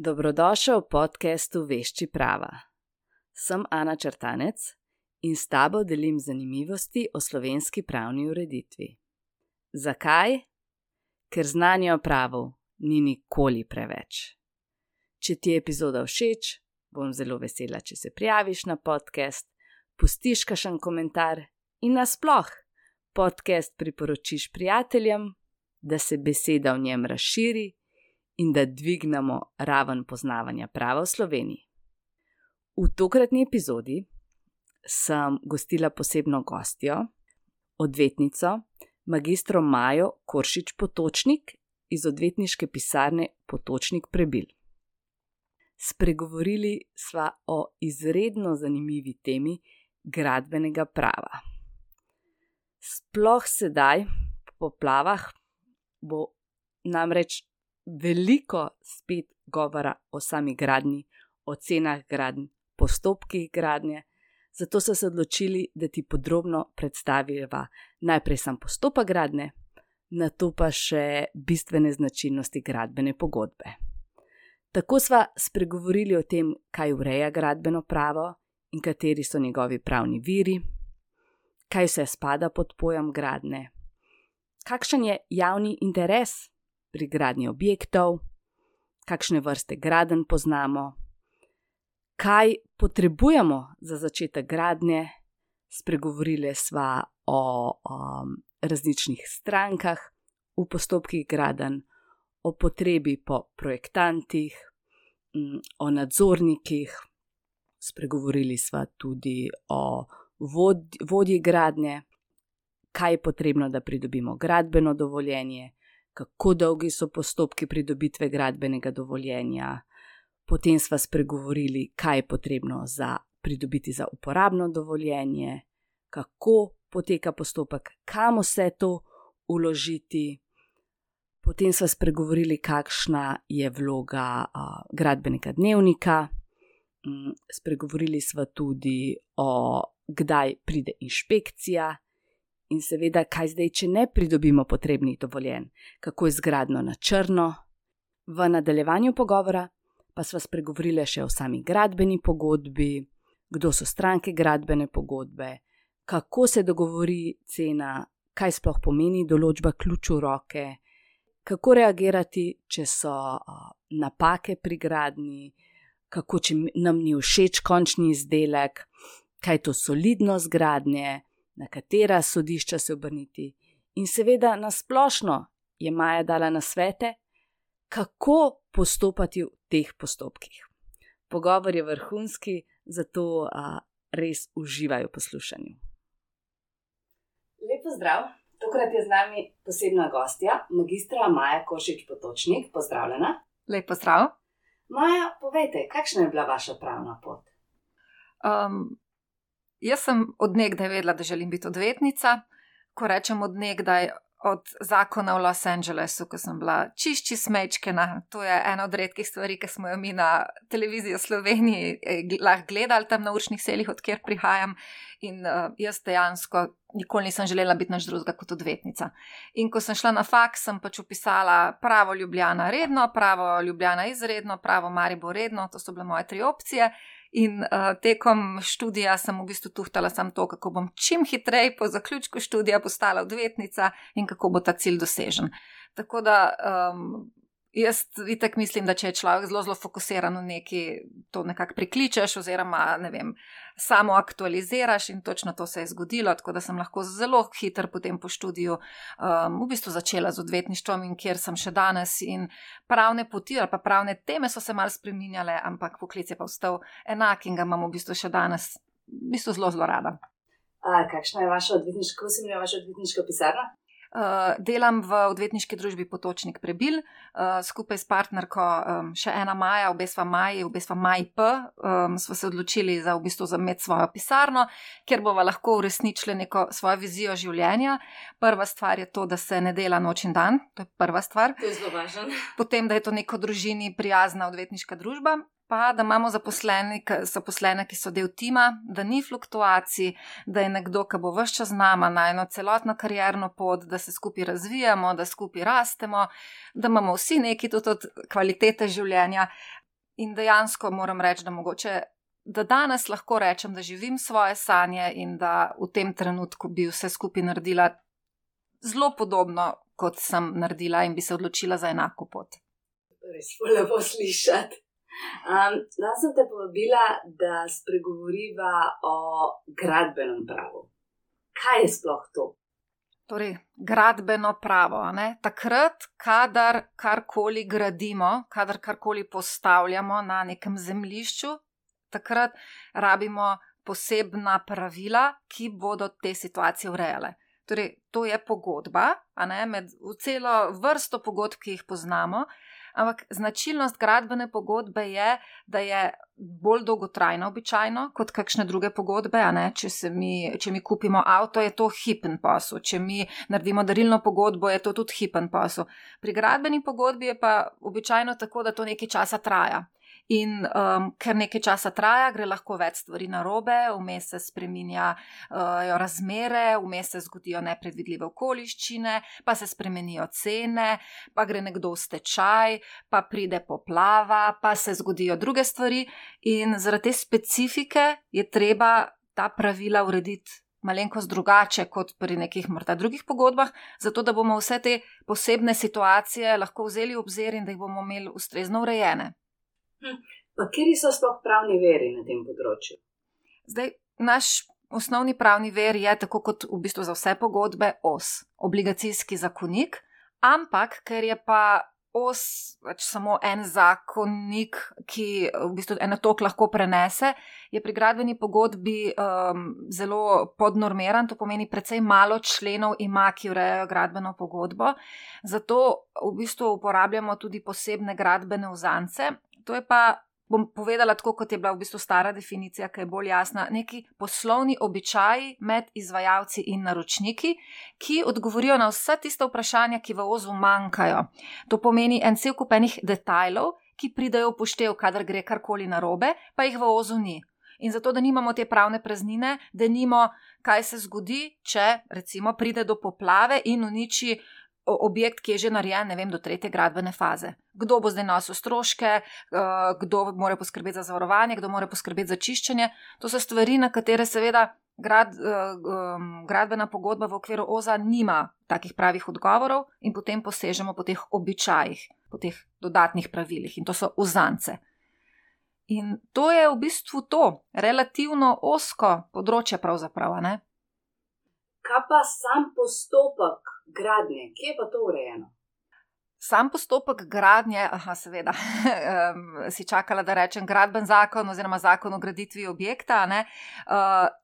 Dobrodošel v podcastu Vešči prava. Sem Ana Črtanec in s tabo delim zanimivosti o slovenski pravni ureditvi. Zakaj? Ker znanja o pravu ni nikoli preveč. Če ti je epizoda všeč, bom zelo vesela, če se prijaviš na podcast, pustiš kakšen komentar in nasploh podcast priporočiš prijateljem, da se beseda v njem razširi in da dvignemo raven poznavanja prava v Sloveniji. V tokratni epizodi sem gostila posebno gostjo, odvetnico, magistro Majo Koršič Potočnik iz odvetniške pisarne Potočnik Prebil. Spregovorili sva o izredno zanimivi temi gradbenega prava. Sploh sedaj, po poplavah, bo namreč veliko spet govora o sami gradnji, o cenah gradnj, postopkih gradnje, zato so se odločili, da ti podrobno predstaviva najprej sam postopek gradnje, nato pa še bistvene značilnosti gradbene pogodbe. Tako sva spregovorili o tem, kaj ureja gradbeno pravo in kateri so njegovi pravni viri, kaj vse spada pod pojem gradnje, kakšen je javni interes pri gradnji objektov, kakšne vrste gradenj poznamo, kaj potrebujemo za začetek gradnje, spregovorili sva o različnih strankah v postopkih gradenj, o potrebi po projektantih, o nadzornikih, spregovorili sva tudi o vodji gradnje, kaj je potrebno, da pridobimo gradbeno dovoljenje, kako dolgi so postopki pridobitve gradbenega dovoljenja. Potem sva spregovorili, kaj je potrebno pridobiti za uporabno dovoljenje, kako poteka postopek, kam vse to vložiti. Potem sva spregovorili, kakšna je vloga gradbenega dnevnika. Spregovorili sva tudi o kdaj pride inšpekcija. In seveda, kaj zdaj, če ne pridobimo potrebnih dovoljenj, kako je z gradnjo na črno. V nadaljevanju pogovora pa sva spregovorili še o sami gradbeni pogodbi, kdo so stranke gradbene pogodbe, kako se dogovori cena, kaj sploh pomeni določba ključ v roke, kako reagirati, če so napake pri gradnji, kako če nam ni všeč končni izdelek, kaj je to solidnost gradnje, na katera sodišča se obrniti. In seveda na splošno je Maja dala nasvete, kako postopati v teh postopkih. Pogovor je vrhunski, zato res uživaj v poslušanju. Lep pozdrav, tokrat je z nami posebna gostja, magistra Maja Koršič Potočnik. Pozdravljena. Lep pozdrav. Maja, povejte, kakšna je bila vaša pravna pot? Jaz sem od nekdaj vedela, da želim biti odvetnica. Ko rečem od nekdaj, od zakona v Los Angelesu, ko sem bila čišči smečkena. To je ena od redkih stvari, ki smo jo mi na televiziji v Sloveniji lahko gledali tam na učnih selih, od kjer prihajam. In jaz dejansko nikoli nisem želela biti nič drugega kot odvetnica. In ko sem šla na faks, sem pač vpisala pravo Ljubljana redno, pravo Ljubljana izredno, pravo Maribor redno, to so bile moje 3 opcije. In tekom študija sem v bistvu tuhtala samo to, kako bom čim hitreje po zaključku študija postala odvetnica in kako bo ta cilj dosežen. Tako da jaz itak mislim, da če je človek zelo fokusiran v neki, to nekako prikličeš oziroma, ne vem, samo aktualiziraš in točno to se je zgodilo, tako da sem lahko zelo hitro potem po študiju v bistvu začela z odvetništvom in kjer sem še danes in pravne poti ali pa pravne teme so se malo spreminjale, ampak poklic je pa ostal enak in ga imam v bistvu še danes v bistvu zelo rada. Kakšna je vaša odvetniška, kako se imenuje vaša odvetniška pisarna? Delam v odvetniški družbi Potočnik Prebil, skupaj s partnerko še ena Maja, obe sva Maji P, sva se odločili za v bistvu imeti svojo pisarno, kjer bova lahko uresničili neko svojo vizijo življenja. Prva stvar je to, da se ne dela noč in dan, to je prva stvar. To je zelo važno. Potem, da je to neko družini prijazna odvetniška družba. Pa da imamo zaposlene, ki so del tima, da ni fluktuacij, da je nekdo, ki bo ves čas z nama na eno celotno karierno pot, da se skupaj razvijamo, da skupaj rastemo, da imamo vsi neki tudi od kvalitete življenja. In dejansko moram reči, da mogoče, da danes lahko rečem, da živim svoje sanje in da v tem trenutku bi vse skupaj naredila zelo podobno, kot sem naredila in bi se odločila za enako pot. Res lepo slišati. Danes sem te povabila, da spregovoriva o gradbenem pravu. Kaj je sploh to? Torej, gradbeno pravo. Takrat, kadar karkoli gradimo, kadar karkoli postavljamo na nekem zemljišču, takrat rabimo posebna pravila, ki bodo te situacije urejale. Torej, to je pogodba, med celo vrsto pogodb, ki jih poznamo, ampak značilnost gradbene pogodbe je, da je bolj dolgotrajna običajno kot kakšne druge pogodbe. Če mi kupimo avto, je to hipen posel. Če mi naredimo darilno pogodbo, je to tudi hipen posel. Pri gradbeni pogodbi je pa običajno tako, da to nekaj časa traja. In ker nekaj časa traja, gre lahko več stvari narobe, vmes se spreminjajo razmere, vmes se zgodijo nepredvidljive okoliščine, pa se spremenijo cene, pa gre nekdo v stečaj, pa pride poplava, pa se zgodijo druge stvari in zaradi te specifike je treba ta pravila urediti malenkost drugače kot pri nekih morda drugih pogodbah, zato da bomo vse te posebne situacije lahko vzeli v obzir in da jih bomo imeli ustrezno urejene. Pa kateri so sploh pravni viri na tem področju? Zdaj, naš osnovni pravni vir je, tako kot v bistvu za vse pogodbe, obligacijski zakonik, ampak ker je pa samo en zakonik, ki v bistvu eno toliko lahko prenese, je pri gradbeni pogodbi zelo podnormiran, to pomeni precej malo členov ima, ki urejajo gradbeno pogodbo, zato v bistvu uporabljamo tudi posebne gradbene uzance. To je pa, bom povedala tako, kot je bila v bistvu stara definicija, ki je bolj jasna, neki poslovni običaji med izvajalci in naročniki, ki odgovorijo na vsa tista vprašanja, ki v OZ-u manjkajo. To pomeni en cel kup enih detajlov, ki pridejo v poštev, kadar gre karkoli narobe, pa jih v OZ-u ni. In zato, da nimamo te pravne praznine, da nimamo, kaj se zgodi, če recimo pride do poplave in uniči objekt, ki je že narejen, do 3. gradbene faze. Kdo bo zdaj nosil stroške, kdo mora poskrbeti za zavarovanje, kdo mora poskrbeti za čiščenje. To so stvari, na katere seveda gradbena pogodba v okviru OZ-a nima takih pravih odgovorov in potem posežemo po teh običajih, po teh dodatnih pravilih in to so uzance. In to je v bistvu to, relativno ozko področje pravzaprav, Kaj pa sam postopek gradnje? Kje je pa to urejeno? Sam postopek gradnje, seveda, si čakala, da rečem gradben zakon oziroma zakon o graditvi objekta,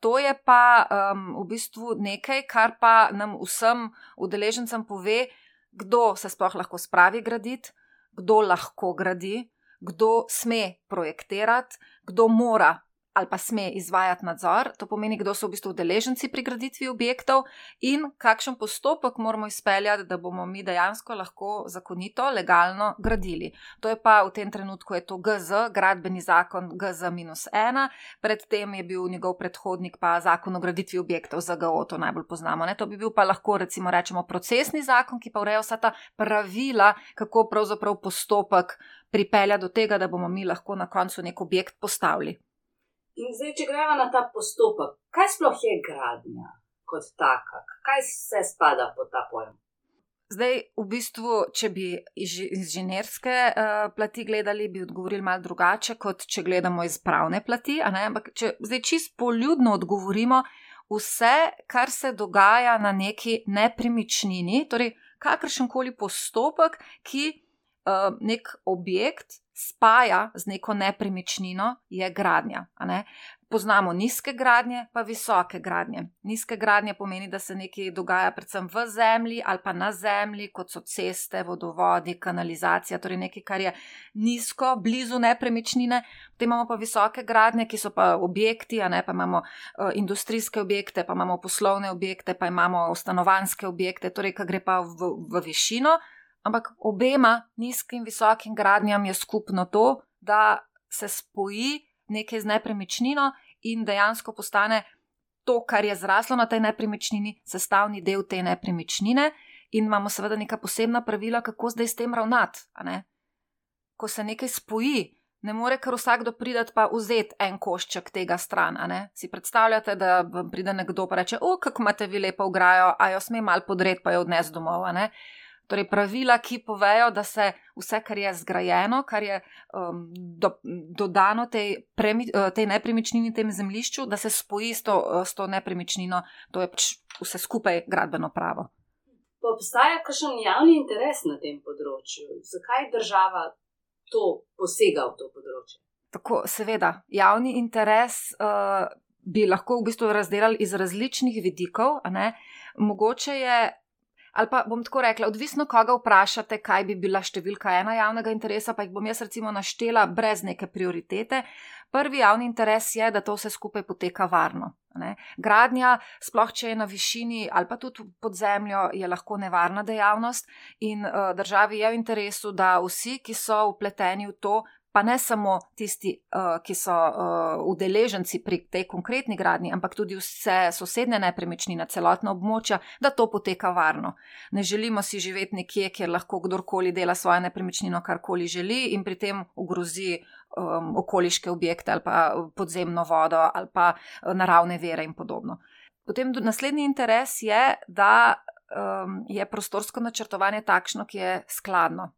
to je pa v bistvu nekaj, kar pa nam vsem udeležencem pove, kdo se sploh lahko spravi graditi, kdo lahko gradi, kdo sme projektirati, kdo mora ali pa sme izvajati nadzor, to pomeni, kdo so v bistvu udeleženci pri graditvi objektov in kakšen postopek moramo izpeljati, da bomo mi dejansko lahko zakonito, legalno gradili. To je pa v tem trenutku je to GZ, gradbeni zakon GZ-1, predtem je bil njegov predhodnik pa zakon o graditvi objektov, ZGO, to najbolj poznamo. To bi bil pa lahko recimo rečemo procesni zakon, ki pa ureja vsa ta pravila, kako pravzaprav postopek pripelja do tega, da bomo mi lahko na koncu nek objekt postavili. In zdaj, če gremo na ta postopek, kaj sploh je gradnja kot taka? Kaj vse spada pod ta pojem? Zdaj, v bistvu, če bi iz inženirske plati gledali, bi odgovorili malo drugače, kot če gledamo iz pravne plati. Ampak če zdaj čisto poljudno odgovorimo, vse, kar se dogaja na neki nepremičnini, torej kakršenkoli postopek, ki nek objekt spaja z neko nepremičnino, je gradnja. Poznamo nizke gradnje, pa visoke gradnje. Nizke gradnje pomeni, da se nekaj dogaja predvsem v zemlji ali pa na zemlji, kot so ceste, vodovodi, kanalizacija, torej nekaj, kar je nizko, blizu nepremičnine. Potem imamo pa visoke gradnje, ki so pa objekti, pa imamo industrijske objekte, pa imamo poslovne objekte, pa imamo stanovanjske objekte, torej, ki gre pa v višino. Ampak obema nizkim in visokim gradnjam je skupno to, da se spoji nekaj z nepremičnino in dejansko postane to, kar je zraslo na tej nepremičnini, sestavni del te nepremičnine in imamo seveda neka posebna pravila, kako zdaj s tem ravnati. Ko se nekaj spoji ne more kar vsakdo pridati pa vzeti en košček tega stran. Si predstavljate, da vam pride nekdo pa reče, kako imate vi lepo ograjo, a jo sme malo podreti pa jo odnesti domov. Torej pravila, ki povejo, da se vse, kar je zgrajeno, kar je dodano tej nepremičnini, tem zemljišču, da se spoji s to nepremičnino, to je vse skupaj gradbeno pravo. Pa obstaja kakšen javni interes na tem področju? Zakaj država to posega v to področje? Tako, seveda, javni interes bi lahko v bistvu razdelali iz različnih vidikov, mogoče je, ali pa bom tako rekla, odvisno koga vprašate, kaj bi bila številka 1 javnega interesa, pa jih bom jaz recimo naštela brez neke prioritete. Prvi javni interes je, da to vse skupaj poteka varno. Gradnja, sploh če je na višini ali pa tudi pod zemljo, je lahko nevarna dejavnost in državi je v interesu, da vsi, ki so vpleteni v to, pa ne samo tisti, ki so udeleženci pri tej konkretni gradnji, ampak tudi vse sosednje nepremičnine, celotna območja, da to poteka varno. Ne želimo si živeti nekje, kjer lahko kdorkoli dela svojo nepremičnino, karkoli želi in pri tem ogrozi okoliške objekte ali pa podzemno vodo ali pa naravne vire in podobno. Potem naslednji interes je, da je prostorsko načrtovanje takšno, ki je skladno.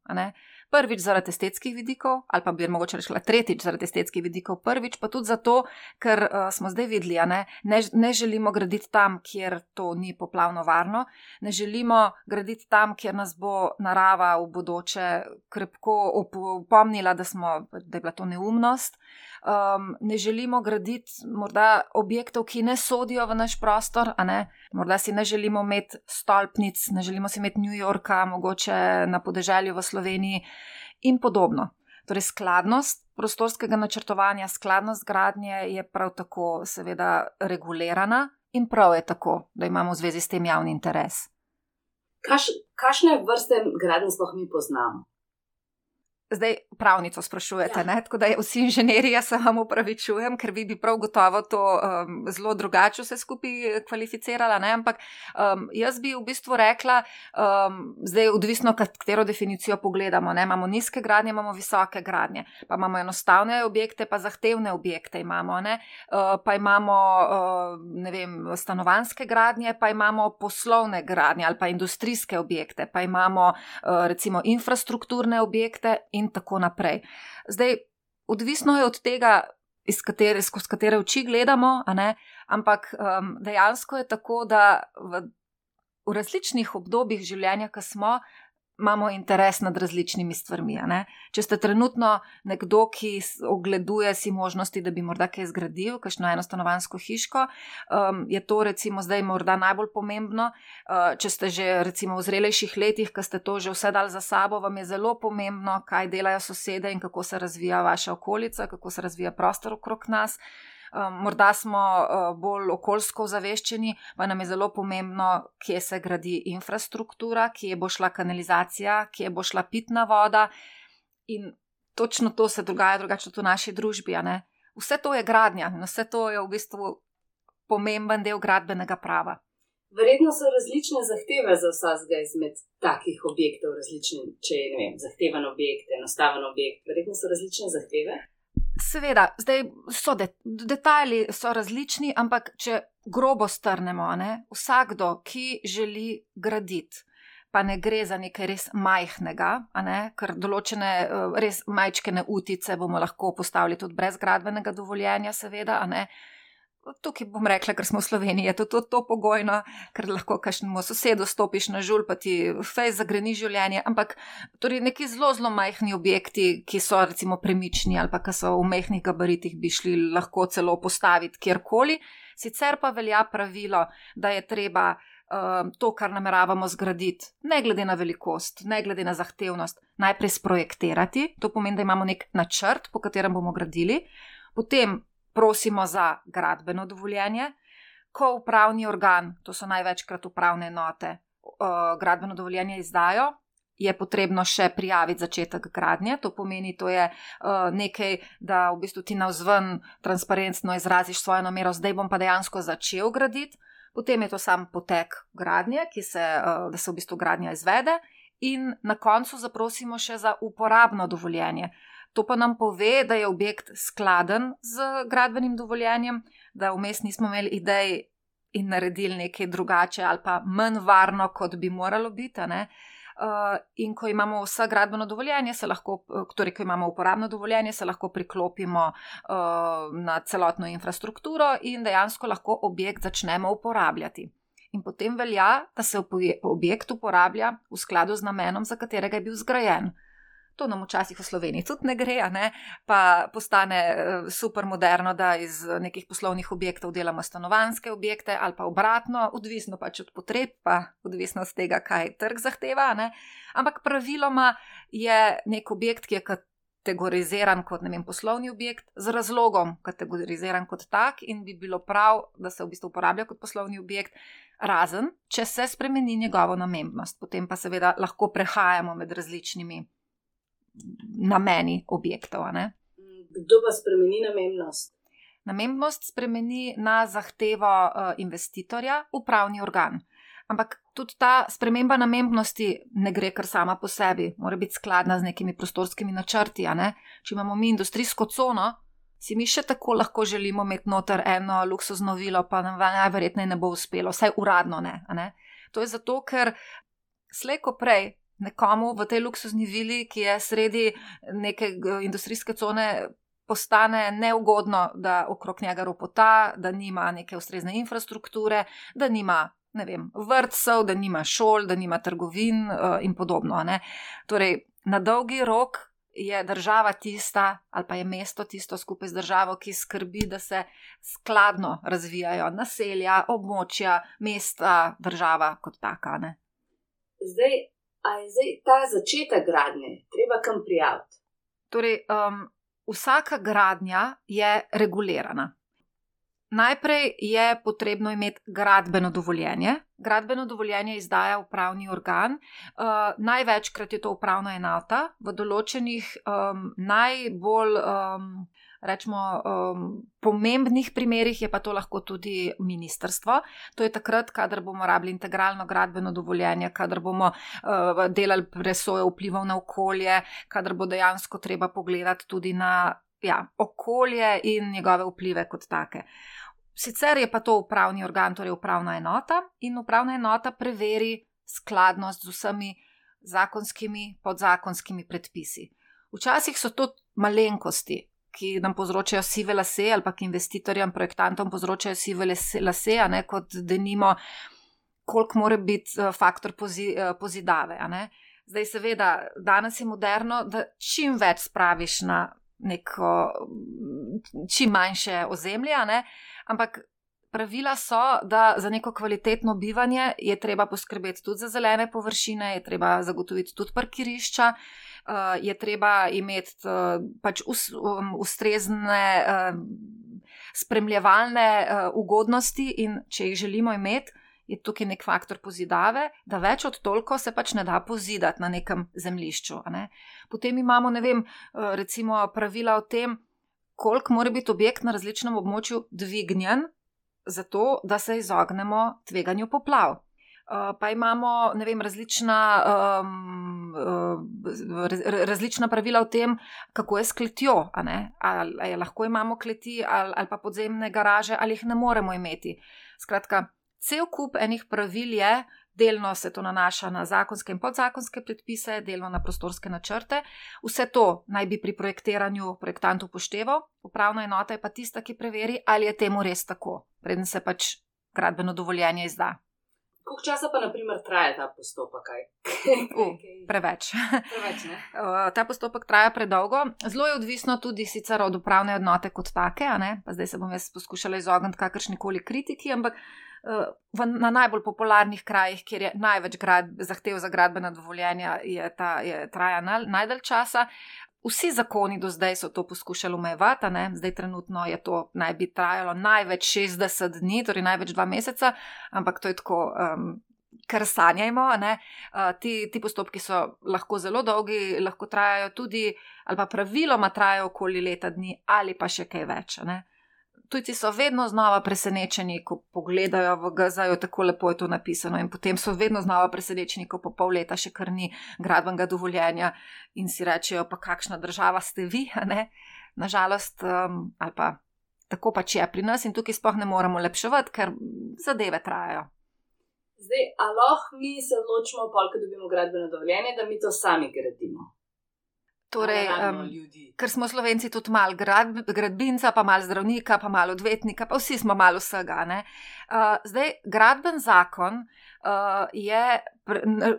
Prvič zaradi estetskih vidikov, ali pa bi mogoče rešila tretjič zaradi estetskih vidikov, prvič pa tudi zato, ker smo zdaj videli, ne želimo graditi tam, kjer to ni poplavno varno, ne želimo graditi tam, kjer nas bo narava v bodoče krepko opomnila, da je bila to neumnost. Ne želimo graditi morda objektov, ki ne sodijo v naš prostor, morda si ne želimo imeti stolpnic, ne želimo si imeti New Yorka, mogoče na podeželju v Sloveniji in podobno. Torej skladnost prostorskega načrtovanja, skladnost gradnje je prav tako seveda regulirana in prav je tako, da imamo v zvezi s tem javni interes. Kakšne vrste gradenj sploh mi poznamo? Zdaj pravnico sprašujete, tako da vsi inženirji, jaz se vam opravičujem, ker vi bi prav gotovo to zelo drugače vse skupaj kvalificirala, ampak jaz bi v bistvu rekla, zdaj odvisno, katero definicijo pogledamo, imamo nizke gradnje, imamo visoke gradnje, pa imamo enostavne objekte, pa zahtevne objekte imamo, pa imamo, stanovanjske gradnje, pa imamo poslovne gradnje ali pa industrijske objekte, pa imamo recimo infrastrukturne objekte in tako naprej. Zdaj, odvisno je od tega, skozi katere oči gledamo, ampak dejansko je tako, da v različnih obdobjih življenja, ko smo, imamo interes nad različnimi stvarmi. Če ste trenutno nekdo, ki ogleduje si možnosti, da bi morda kaj zgradil, kakšno enostanovanjsko hiško, je to recimo zdaj morda najbolj pomembno. Če ste že recimo v zrelejših letih, ko ste to že vse dali za sabo, vam je zelo pomembno, kaj delajo sosede in kako se razvija vaša okolica, kako se razvija prostor okrog nas. Morda smo bolj okoljsko ozaveščeni, pa nam je zelo pomembno, kje se gradi infrastruktura, kje bo šla kanalizacija, kje bo šla pitna voda in točno to se dogaja drugače v naši družbi. Vse to je gradnja in vse to je v bistvu pomemben del gradbenega prava. Verjetno so različne zahteve za vsakega izmed takih objektov, različne, če je, zahteven objekt, enostaven objekt, verjetno so različne zahteve. Seveda, zdaj detajli so različni, ampak če grobo strnemo, vsakdo, ki želi graditi, pa ne gre za nekaj res majhnega, ker določene res majčkene utice bomo lahko postavili tudi brez gradbenega dovoljenja, seveda, Tukaj bom rekla, ker smo v Sloveniji, je to pogojno, ker lahko kakšnemu sosedu stopiš na žulj, pa ti fejs zagreni življenje, ampak torej neki zelo, zelo majhni objekti, ki so recimo premični ali pa ki so v majhnih gabaritih, bi šli lahko celo postaviti kjerkoli. Sicer pa velja pravilo, da je treba to, kar nameravamo zgraditi, ne glede na velikost, ne glede na zahtevnost, najprej sprojektirati, to pomeni, da imamo nek načrt, po katerem bomo gradili, potem prosimo za gradbeno dovoljenje, ko upravni organ, to so največkrat upravne enote, gradbeno dovoljenje izdajo, je potrebno še prijaviti začetek gradnje, to pomeni, to je nekaj, da v bistvu ti navzven transparentno izraziš svojo namero, zdaj bom pa dejansko začel graditi, potem je to sam potek gradnje, da se v bistvu gradnja izvede in na koncu zaprosimo še za uporabno dovoljenje. To pa nam pove, da je objekt skladen z gradbenim dovoljenjem, da vmes nismo imeli idej in naredili nekaj drugače ali pa manj varno, kot bi moralo biti. In ko imamo vsa gradbeno dovoljenje, torej ko imamo uporabno dovoljenje, se lahko priklopimo na celotno infrastrukturo in dejansko lahko objekt začnemo uporabljati. In potem velja, da se objekt uporablja v skladu z namenom, za katerega je bil zgrajen. To nam včasih v Sloveniji tudi ne gre, pa postane super moderno, da iz nekih poslovnih objektov delamo stanovanjske objekte ali pa obratno, odvisno pač od potreb, pa odvisno od tega, kaj trg zahteva. Ampak praviloma je nek objekt, ki je kategoriziran kot poslovni objekt, z razlogom kategoriziran kot tak in bi bilo prav, da se v bistvu uporablja kot poslovni objekt, razen če se spremeni njegovo namembnost. Potem pa seveda lahko prehajamo med različnimi nameni objektov. Kdo pa spremeni namembnost? Namembnost spremeni na zahtevo investitorja upravni organ. Ampak tudi ta sprememba namembnosti ne gre kar sama po sebi, mora biti skladna z nekimi prostorskimi načrti. Če imamo mi industrijsko cono, si mi še tako lahko želimo imeti noter eno luksuzno vilo, pa nam najverjetneje ne bo uspelo, vsaj uradno ne. To je zato, ker slej ko prej nekomu v tej luksuzni vili, ki je sredi neke industrijske cone, postane neugodno, da okrog njega ropota, da nima neke ustrezne infrastrukture, da nima vrtcev, da nima šol, da nima trgovin in podobno. Torej, na dolgi rok je država tista, ali pa je mesto tisto skupaj z državo, ki skrbi, da se skladno razvijajo naselja, območja, mesta, država kot taka. A je ta začetek gradnje treba kam prijaviti? Torej, vsaka gradnja je regulirana. Najprej je potrebno imeti gradbeno dovoljenje. Gradbeno dovoljenje izdaja upravni organ. Največkrat je to upravna enota. V določenih najbolj pomembnih primerih je pa to lahko tudi ministrstvo. To je takrat, kadar bomo rabili integralno gradbeno dovoljenje, kadar bomo delali presojo vplivov na okolje, kadar bo dejansko treba pogledati tudi na okolje in njegove vplive kot take. Sicer je pa to upravni organ, torej upravna enota, in upravna enota preveri skladnost z vsemi zakonskimi, podzakonskimi predpisi. Včasih so to malenkosti, ki nam povzročajo sive lase ali pa k investitorjem, projektantom povzročajo sive lase, kot denimo, koliko mora biti faktor pozidave. Zdaj seveda, danes je moderno, da čim več spraviš na neko čim manjše ozemlje, ampak pravila so, da za neko kvalitetno bivanje je treba poskrbeti tudi za zelene površine, je treba zagotoviti tudi parkirišča, je treba imeti pač ustrezne spremljevalne ugodnosti in če jih želimo imeti, je tukaj nek faktor pozidave, da več od toliko se pač ne da pozidati na nekem zemljišču. Potem imamo, recimo pravila o tem, koliko mora biti objekt na različnem območju dvignjen, zato da se izognemo tveganju poplav. Pa imamo, različna pravila o tem, kako je s kletjo. Ali lahko imamo kleti ali pa podzemne garaže, ali jih ne moremo imeti. Skratka, cel kup enih pravil je, delno se to nanaša na zakonske in podzakonske predpise, delno na prostorske načrte. Vse to naj bi pri projektiranju projektant upošteval, upravna enota je pa tista, ki preveri, ali je temu res tako, preden se pač gradbeno dovoljenje izda. Koliko časa pa, na primer, traja ta postopek? Preveč. Preveč, ne? Ta postopek traja predolgo. Zelo je odvisno tudi sicer od upravne enote kot take, pa zdaj se bom jaz poskušala izogniti kakršnikoli kritiki, ampak na najbolj popularnih krajih, kjer je največ zahtev za gradbena dovoljenja, traja najdalj časa. Vsi zakoni do zdaj so to poskušali omejevati, zdaj trenutno je to naj bi trajalo največ 60 dni, torej največ 2 meseca, ampak to je tako, kar sanjajmo. Ti postopki so lahko zelo dolgi, lahko trajajo tudi, ali pa praviloma trajajo okoli leta dni, ali pa še kaj več. tujci so vedno znova presenečeni, ko pogledajo v GZ-ju, tako lepo je to napisano, in potem so vedno znova presenečeni, ko po pol leta še kar ni gradbenega dovoljenja in si rečejo, pa kakšna država ste vi, a ne? Nažalost, ali pa tako pač je pri nas in tukaj sploh ne moremo lepševati, ker zadeve trajajo. Zdaj, a lahko mi se odločimo, ko dobimo gradbeno dovoljenje, da mi to sami gradimo? Torej, ker smo Slovenci tudi malo gradbinca, pa malo zdravnika, pa malo odvetnika, pa vsi smo malo vsega. Ne? Zdaj, gradben zakon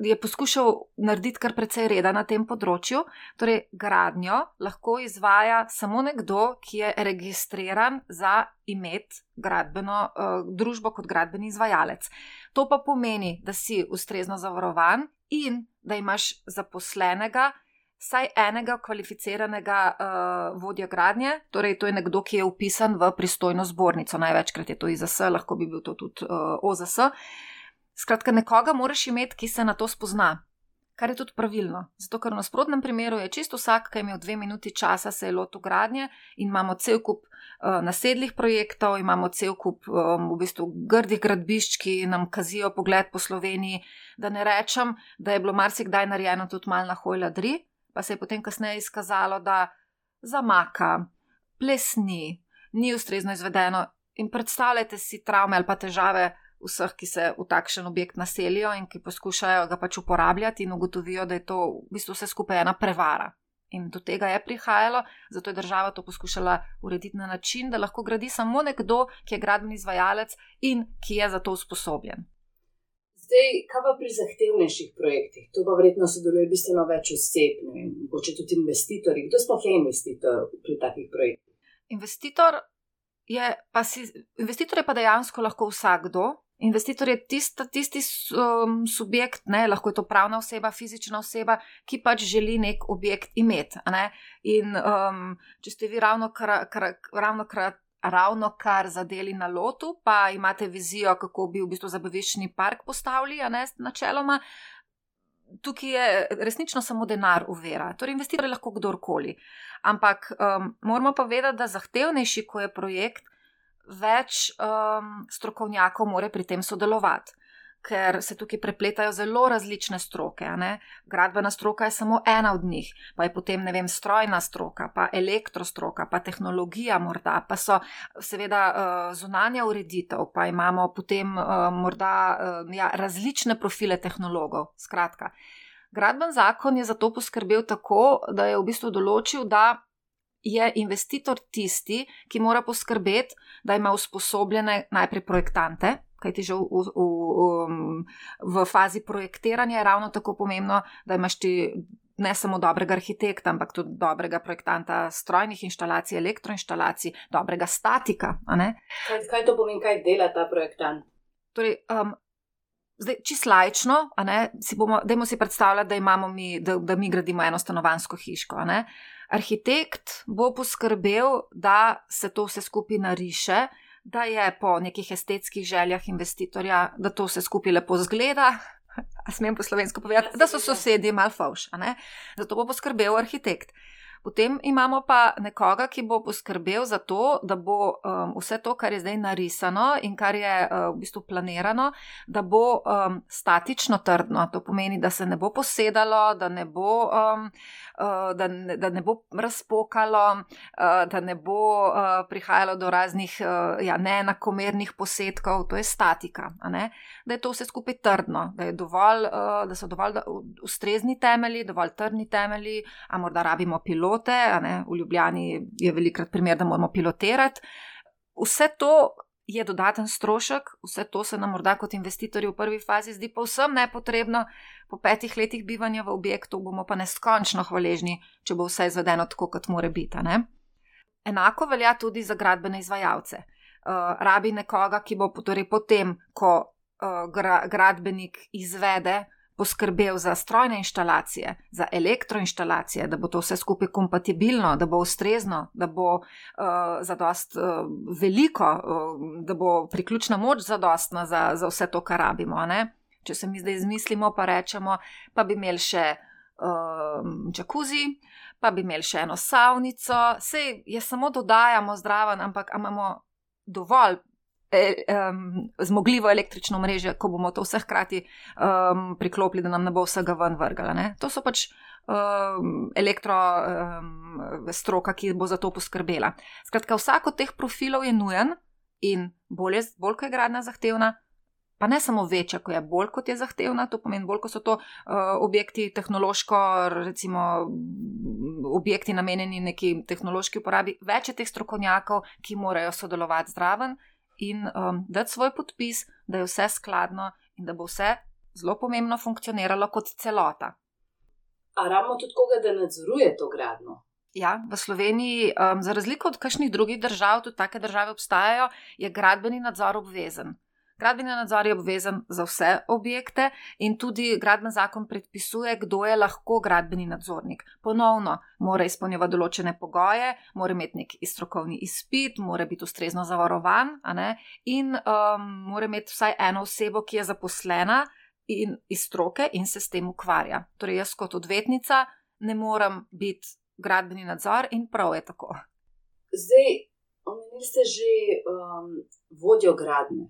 je poskušal narediti kar precej reda na tem področju. Torej, gradnjo lahko izvaja samo nekdo, ki je registriran za imeti gradbeno družbo kot gradbeni izvajalec. To pa pomeni, da si ustrezno zavarovan in da imaš zaposlenega vsaj enega kvalificiranega vodja gradnje, torej to je nekdo, ki je vpisan v pristojno zbornico, največkrat je to IZS, lahko bi bil to tudi OZS. Skratka, nekoga moraš imeti, ki se na to spozna, kar je tudi pravilno. Zato, ker v nasprotnem primeru je čisto vsak, ki je imel 2 minuti časa, se je lotil gradnje in imamo cel kup nasedlih projektov, imamo cel kup v bistvu grdih gradbišč, ki nam kazijo pogled po Sloveniji, da ne rečem, da je bilo marsikdaj narejeno tudi malo na hojladri, pa se je potem kasneje izkazalo, da zamaka, plesni, ni ustrezno izvedeno in predstavljajte si travme ali pa težave vseh, ki se v takšen objekt naselijo in ki poskušajo ga pač uporabljati in ugotovijo, da je to v bistvu vse skupaj ena prevara. In do tega je prihajalo, zato je država to poskušala urediti na način, da lahko gradi samo nekdo, ki je gradbeni izvajalec in ki je za to usposobljen. Zdaj, kaj pa pri zahtevnejših projektih? To pa verjetno sodeluje bistveno več oseb, mogoče tudi investitorji. Kdo sploh je investitor pri takih projektih? Investitor je pa dejansko lahko vsakdo. Investitor je tisti subjekt, ne, lahko je to pravna oseba, fizična oseba, ki pač želi nek objekt imeti. In če ste vi ravno kar zadeli na lotu, pa imate vizijo, kako bi v bistvu zabaviščni park postavili, načeloma, tukaj je resnično samo denar ovira. Torej, investitor je lahko kdorkoli. Ampak moramo pa vedeti, da zahtevnejši, ko je projekt, več strokovnjakov mora pri tem sodelovati. Ker se tukaj prepletajo zelo različne stroke. Gradbena stroka je samo ena od njih, pa je potem, strojna stroka, pa elektrostroka, pa tehnologija morda, pa so seveda zunanja ureditev, pa imamo potem morda različne profile tehnologov. Skratka, gradben zakon je zato poskrbel tako, da je v bistvu določil, da je investitor tisti, ki mora poskrbeti, da ima usposobljene najprej projektante, kajti že v fazi projektiranja je ravno tako pomembno, da imaš ti ne samo dobrega arhitekta, ampak tudi dobrega projektanta strojnih inštalacij, elektroinštalacij, dobrega statika. Kaj to pomeni, kaj dela ta projektant? Torej, zdaj, čisto laično, dajmo si predstavljati, da mi gradimo eno stanovanjsko hiško. Arhitekt bo poskrbel, da se to vse skupaj nariše, da je po nekih estetskih željah investitorja, da to vse skupaj lepo zgleda, a smem po slovensko povedati, da so sosedje malo fovš. Zato bo poskrbel arhitekt. Potem imamo pa nekoga, ki bo poskrbel za to, da bo vse to, kar je zdaj narisano in kar je v bistvu planirano, da bo statično trdno. To pomeni, da se ne bo posedalo, da ne bo razpokalo, da ne bo prihajalo do raznih neenakomernih posedkov. To je statika. Da je to vse skupaj trdno, da so dovolj ustrezni temelji, dovolj trdni temelji, a morda rabimo pilote. V Ljubljani je velikrat primer, da moramo pilotirati. Vse to je dodaten strošek, vse to se nam morda kot investitorji v prvi fazi zdi povsem nepotrebno, po 5 letih bivanja v objektu bomo pa neskončno hvaležni, če bo vse izvedeno tako, kot mora biti. Enako velja tudi za gradbene izvajalce. Rabi nekoga, ki bo torej potem, ko gradbenik izvede, poskrbel za strojne inštalacije, za elektroinštalacije, da bo to vse skupaj kompatibilno, da bo ustrezno, da bo zadost veliko, da bo priključna moč zadostna za vse to, kar rabimo. Če se mi zdaj izmislimo, pa rečemo, pa bi imeli še džakuzi, pa bi imeli še eno savnico, sej je samo dodajamo zdraven, ampak imamo dovolj zmogljivo električno mreže, ko bomo to vse hkrati priklopili, da nam ne bo vsega ven vrgala. Ne? To so pač stroka, ki bo za to poskrbela. Skratka, vsak od teh profilov je nujen in bolj, ko je gradnja zahtevna, pa ne samo večja, ko je bolj, kot je zahtevna, to pomeni bolj, ko so to objekti tehnološko, recimo objekti namenjeni neki tehnološki uporabi, več je teh strokovnjakov, ki morajo sodelovati zraven in dati svoj podpis, da je vse skladno in da bo vse zelo pomembno funkcioniralo kot celota. A rabimo tudi koga, da nadzoruje to gradnjo? Ja, v Sloveniji, za razliko od kakšnih drugih držav, tudi take države obstajajo, je gradbeni nadzor obvezen. Gradbeni nadzor je obvezen za vse objekte in tudi gradbeni zakon predpisuje, kdo je lahko gradbeni nadzornik. Ponovno mora izpolnjevati določene pogoje, mora imeti nek strokovni izpit, mora biti ustrezno zavarovan, in mora imeti vsaj eno osebo, ki je zaposlena in iz stroke in se s tem ukvarja. Torej jaz kot odvetnica ne morem biti gradbeni nadzor in prav je tako. Zdaj, omenili ste že vodjo gradnje.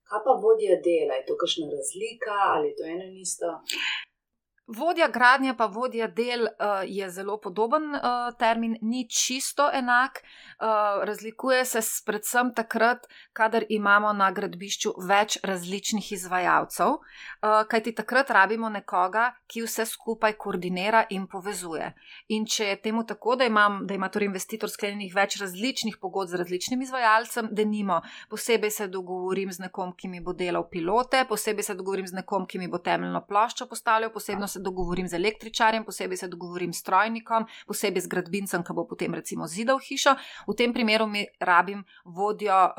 Kaj pa vodja dela? Je to kakšna razlika ali je to eno in isto? Vodja gradnje pa vodja del je zelo podoben termin, ni čisto enak, razlikuje se predvsem takrat, kadar imamo na gradbišču več različnih izvajalcev, kajti takrat rabimo nekoga, ki vse skupaj koordinira in povezuje. In če je temu tako, da ima torej investitor sklenjenih več različnih pogodb z različnim izvajalcem, denimo, posebej se dogovorim z nekom, ki mi bo delal pilote, posebej se dogovorim z nekom, ki mi bo temeljno ploščo postavljal, posebno se dogovorim z električarjem, posebej se dogovorim s strojnikom, posebej z gradbincem, ki bo potem recimo zidal hišo. V tem primeru mi rabim vodjo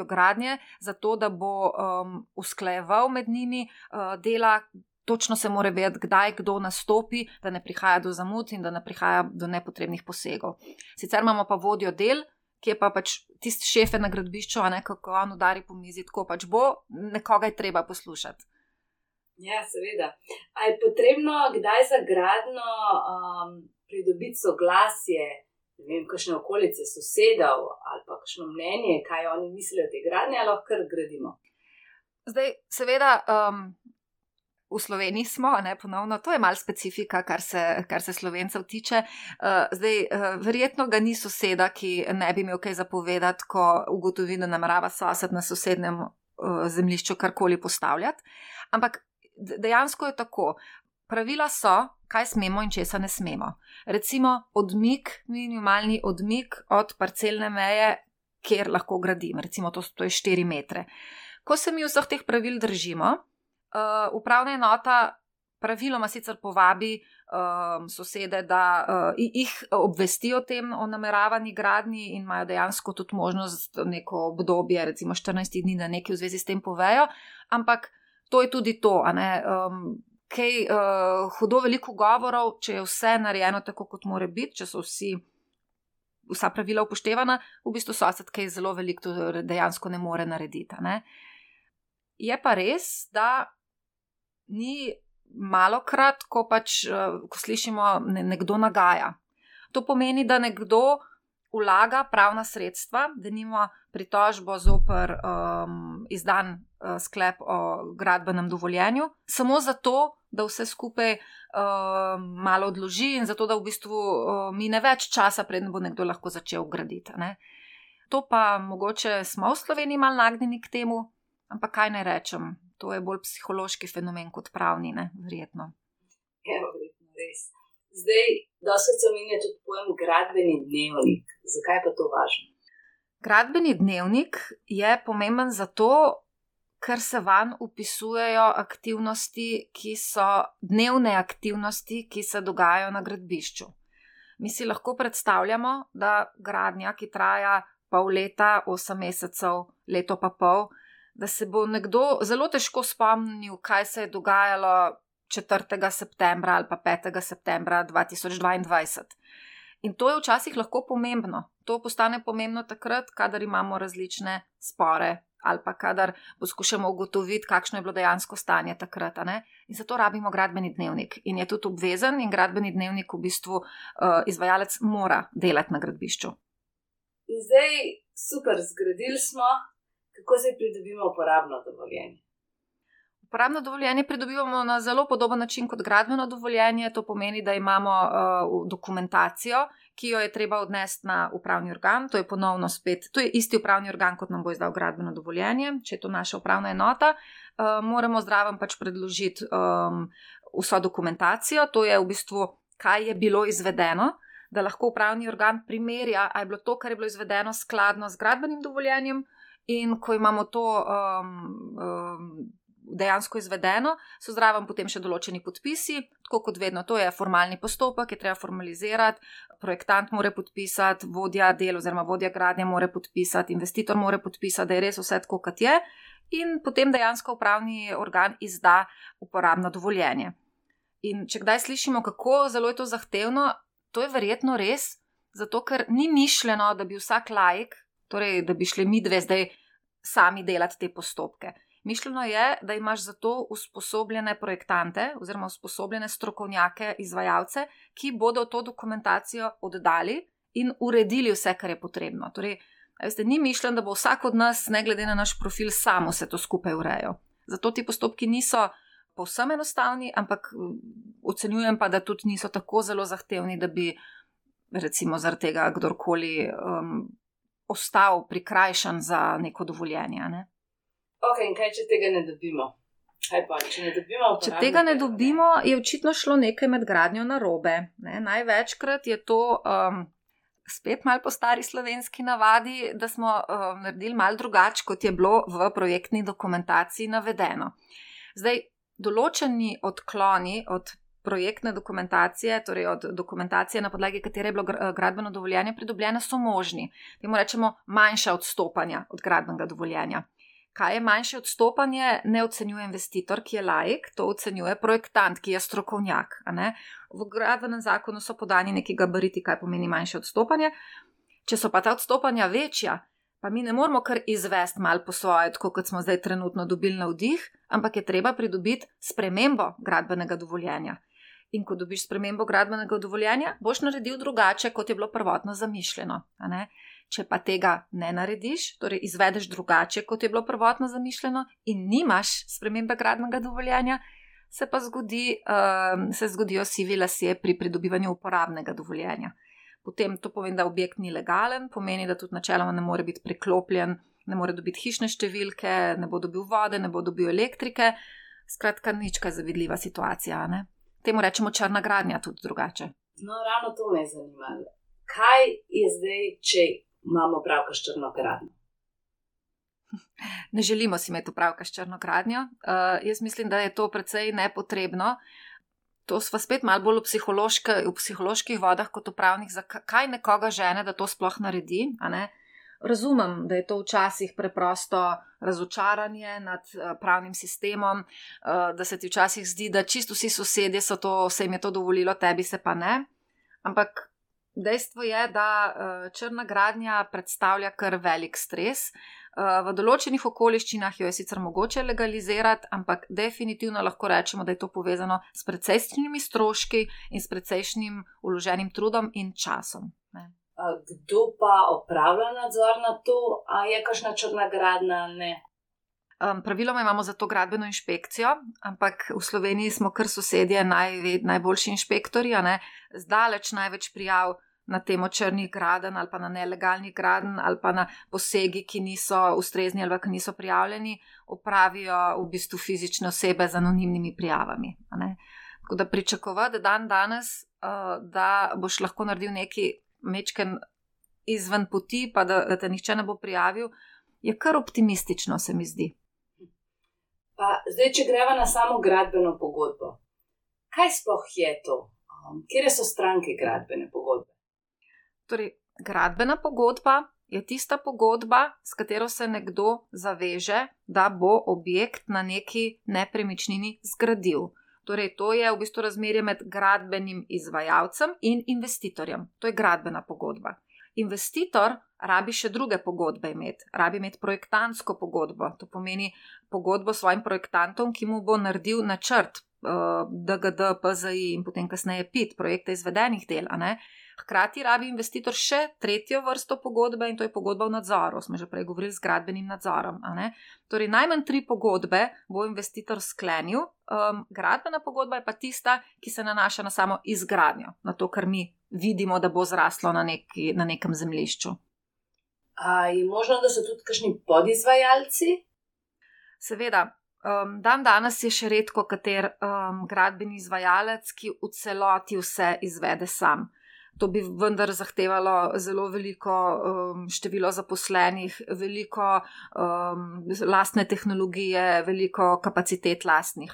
gradnje, zato da bo usklajeval med njimi dela. Točno se mora vedeti, kdaj kdo nastopi, da ne prihaja do zamud in da ne prihaja do nepotrebnih posegov. Sicer imamo pa vodjo del, ki je pa pač tisti šefe na gradbišču, kako on udari po mizi, tako pač bo, nekoga je treba poslušati. Ja, seveda. A je potrebno kdaj za gradnjo pridobiti soglasje, ne vem, kakšne okolice sosedov ali pa kakšno mnenje, kaj oni mislijo o tej gradnji, ali lahko kar gradimo? Zdaj, seveda, v Sloveniji smo, ponovno, to je malo specifika, kar se Slovencev tiče. Zdaj, verjetno ga ni soseda, ki ne bi imel kaj zapovedati, ko ugotovi, da namerava sosed na sosednjem zemljišču karkoli postavljati. Ampak dejansko je tako. Pravila so, kaj smemo in česa ne smemo. Recimo minimalni odmik od parcelne meje, kjer lahko gradim. Recimo to je 4 metre. Ko se mi vseh teh pravil držimo, upravna enota praviloma sicer povabi sosede, da jih obvesti o tem, o nameravani gradnji in imajo dejansko tudi možnost neko obdobje, recimo 14 dni, da nekaj v zvezi s tem povejo, ampak to je tudi to, kaj hudo veliko govorov, če je vse narejeno tako, kot mora biti, če so vsa pravila upoštevana, v bistvu sosed kaj zelo veliko dejansko ne more narediti. Je pa res, da ni malokrat, ko slišimo, nekdo nagaja. To pomeni, da nekdo vlaga pravna sredstva, denimo pritožbo zoper izdan sklep o gradbenem dovoljenju, samo zato, da vse skupaj malo odloži in zato, da v bistvu mine več časa, preden bo nekdo lahko začel graditi. To pa mogoče smo v Sloveniji malo nagnjeni k temu, ampak kaj ne rečem, to je bolj psihološki fenomen kot pravni, verjetno. Ja, verjetno res. Zdaj, dosti se omenja tudi pojem gradbeni dnevnik. Zakaj pa to važno? Gradbeni dnevnik je pomemben zato, ker se vanj vpisujejo aktivnosti, ki so dnevne aktivnosti, ki se dogajajo na gradbišču. Mi si lahko predstavljamo, da gradnja, ki traja pol leta, 8 mesecev, leto pa pol, da se bo nekdo zelo težko spomnil, kaj se je dogajalo 4. septembra ali pa 5. septembra 2022. In to je včasih lahko pomembno. To postane pomembno takrat, kadar imamo različne spore ali pa kadar poskušamo ugotoviti, kakšno je bilo dejansko stanje takrat. In zato rabimo gradbeni dnevnik. In je tudi obvezen in gradbeni dnevnik v bistvu izvajalec mora delati na gradbišču. In zdaj super, zgradili smo, kako zdaj pridobimo uporabno dovoljenje? Uporabno dovoljenje pridobivamo na zelo podoben način kot gradbeno dovoljenje. To pomeni, da imamo dokumentacijo, ki jo je treba odnesti na upravni organ. To je ponovno spet, to je isti upravni organ, kot nam bo izdal gradbeno dovoljenje, če je to naša upravna enota. Moramo zraven pač predložiti vso dokumentacijo, to je v bistvu, kaj je bilo izvedeno, da lahko upravni organ primerja, ali je bilo to, kar je bilo izvedeno, skladno z gradbenim dovoljenjem, in ko imamo to dejansko izvedeno, so zraven potem še določeni podpisi, tako kot vedno, to je formalni postopek, je treba formalizirati, projektant mora podpisati, vodja del oziroma vodja gradnje mora podpisati, investitor mora podpisati, da je res vse tako, kot je, in potem dejansko upravni organ izda uporabno dovoljenje. In če kdaj slišimo, kako zelo je to zahtevno, to je verjetno res, zato ker ni mišljeno, da bi vsak laik, torej da bi šli mi dve zdaj sami delati te postopke. Mišljeno je, da imaš za to usposobljene projektante oziroma usposobljene strokovnjake, izvajalce, ki bodo to dokumentacijo oddali in uredili vse, kar je potrebno. Torej, veste, ni mišljeno, da bo vsak od nas, ne glede na naš profil, samo se to skupaj urejal. Zato ti postopki niso povsem enostavni, ampak ocenjujem pa, da tudi niso tako zelo zahtevni, da bi recimo zaradi tega kdorkoli ostal prikrajšan za neko dovoljenje, ne? Ok, in kaj, če tega ne dobimo? Kaj pa, če ne dobimo? Če tega ne dobimo, je očitno šlo nekaj med gradnjo narobe. Največkrat je to spet malo po stari slovenski navadi, da smo naredili malo drugače, kot je bilo v projektni dokumentaciji navedeno. Zdaj, določeni odkloni od projektne dokumentacije, torej od dokumentacije, na podlagi katere je bilo gradbeno dovoljenje pridobljeno, so možni. Temu rečemo manjša odstopanja od gradbenega dovoljenja. Kaj je manjše odstopanje, ne ocenjuje investitor, ki je laik, to ocenjuje projektant, ki je strokovnjak. V gradbenem zakonu so podani neki gabariti, kaj pomeni manjše odstopanje. Če so pa ta odstopanja večja, pa mi ne moramo kar izvesti malo po svoje, tako kot smo zdaj trenutno dobili navdih, ampak je treba pridobiti spremembo gradbenega dovoljenja. In ko dobiš spremembo gradbenega dovoljenja, boš naredil drugače, kot je bilo prvotno zamišljeno. Če pa tega ne narediš, torej izvedeš drugače, kot je bilo prvotno zamišljeno in nimaš spremembe gradbenega dovoljenja, se zgodijo sivi lasje pri pridobivanju uporabnega dovoljenja. Potem to pomeni, da objekt ni legalen, pomeni, da tudi načeloma ne more biti priklopljen, ne more dobiti hišne številke, ne bo dobil vode, ne bo dobil elektrike. Skratka, nič kaj zavidljiva situacija, ne? Temu rečemo črna gradnja tudi drugače. No, ravno to me je zanimalo. Kaj je zdaj, če imamo opravka s črno gradnjo? Ne želimo si imeti opravka s črno gradnjo. Jaz mislim, da je to precej nepotrebno. To sva spet malo bolj v psiholoških vodah kot v pravnih, zakaj nekoga žene, da to sploh naredi, a ne? Razumem, da je to včasih preprosto razočaranje nad pravnim sistemom, da se ti včasih zdi, da čisto vsi sosedje se jim je to dovolilo, tebi se pa ne. Ampak dejstvo je, da črna gradnja predstavlja kar velik stres. V določenih okoliščinah jo je sicer mogoče legalizirati, ampak definitivno lahko rečemo, da je to povezano s precejšnjimi stroški in s precejšnjim vloženim trudom in časom. Kdo pa opravlja nadzor na to, a je kakšna črna gradnja ali ne? Praviloma imamo za to gradbeno inšpekcijo, ampak v Sloveniji smo kar sosedje najboljši inšpektorji, zdaleč največ prijav na temo črnih gradenj ali pa na nelegalnih gradenj ali pa na posegi, ki niso ustrezni ali pa ki niso prijavljeni, opravijo v bistvu fizične osebe z anonimnimi prijavami. Tako da pričakovati danes, da boš lahko naredil neki mečken izven poti, pa da te nihče ne bo prijavil, je kar optimistično, se mi zdi. Pa zdaj, če greva na samo gradbeno pogodbo, kaj sploh je to? Kje so stranke gradbene pogodbe? Torej, gradbena pogodba je tista pogodba, s katero se nekdo zaveže, da bo objekt na neki nepremičnini zgradil. Torej, to je v bistvu razmerje med gradbenim izvajalcem in investitorjem. To je gradbena pogodba. Investitor rabi še druge pogodbe imeti. Rabi imeti projektantsko pogodbo. To pomeni pogodbo s svojim projektantom, ki mu bo naredil načrt DGD, PZI in potem kasneje PIT, projekte izvedenih del. Hkrati rabi investitor še tretjo vrsto pogodbe in to je pogodba v nadzoru, smo že prej govorili z gradbenim nadzorom. Torej, najmanj 3 pogodbe bo investitor sklenil, gradbena pogodba je pa tista, ki se nanaša na samo izgradnjo, na to, kar mi vidimo, da bo zraslo na nekem zemljišču. A je možno, da so tudi kakšni podizvajalci? Seveda, dan danes je še redko kater gradbeni izvajalec, ki v celoti vse izvede sam. To bi vendar zahtevalo zelo veliko število zaposlenih, veliko lastne tehnologije, veliko kapacitet lastnih.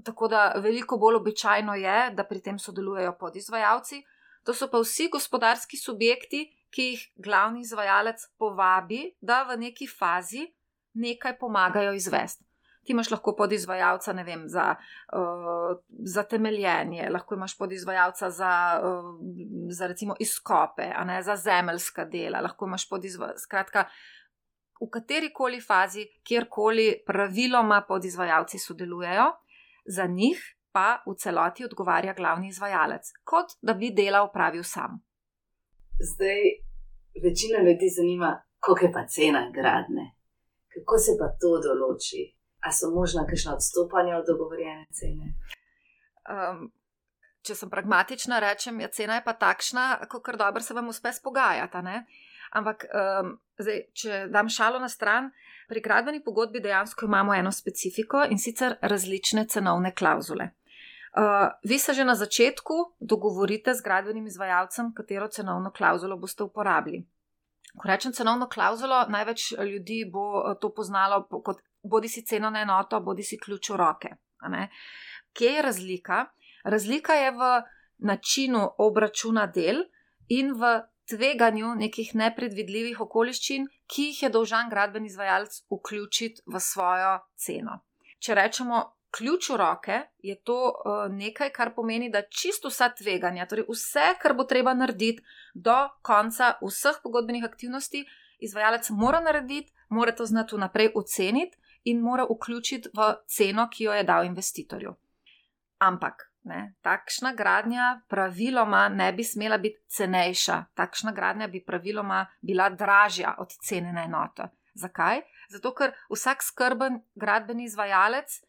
Tako da veliko bolj običajno je, da pri tem sodelujejo podizvajalci. To so pa vsi gospodarski subjekti, ki jih glavni izvajalec povabi, da v neki fazi nekaj pomagajo izvesti. Ti imaš lahko podizvajalca, ne vem, za temeljenje, lahko imaš podizvajalca za recimo izkope, za zemeljska dela, lahko imaš skratka, v katerikoli fazi, kjerkoli praviloma podizvajalci sodelujejo, za njih pa v celoti odgovarja glavni izvajalec, kot da bi dela opravil sam. Zdaj, večina ljudi zanima, koliko je pa cena gradnje. Kako se pa to določi? A so možna kakšna odstopanja od dogovorjene cene? Če sem pragmatična, rečem, cena je pa takšna, kakor dobro se vam uspe spogajati. Ampak, zdaj, če dam šalo na stran, pri gradbeni pogodbi dejansko imamo eno specifiko in sicer različne cenovne klavzule. Vi se že na začetku dogovorite z gradbenim izvajalcem, katero cenovno klavzulo boste uporabili. Ko rečem cenovno klavzulo, največ ljudi bo to poznalo kot bodi si ceno na enoto, bodi si ključ v roke. Kje je razlika? Razlika je v načinu obračuna del in v tveganju nekih nepredvidljivih okoliščin, ki jih je dolžan gradbeni izvajalec vključiti v svojo ceno. Če rečemo ključ v roke, je to nekaj, kar pomeni, da čisto vsa tveganja, torej vse, kar bo treba narediti do konca vseh pogodbenih aktivnosti, izvajalec mora narediti, mora to znati vnaprej oceniti in mora vključiti v ceno, ki jo je dal investitorju. Ampak, takšna gradnja praviloma ne bi smela biti cenejša. Takšna gradnja bi praviloma bila dražja od cene na enoto. Zakaj? Zato, ker vsak skrben gradbeni izvajalec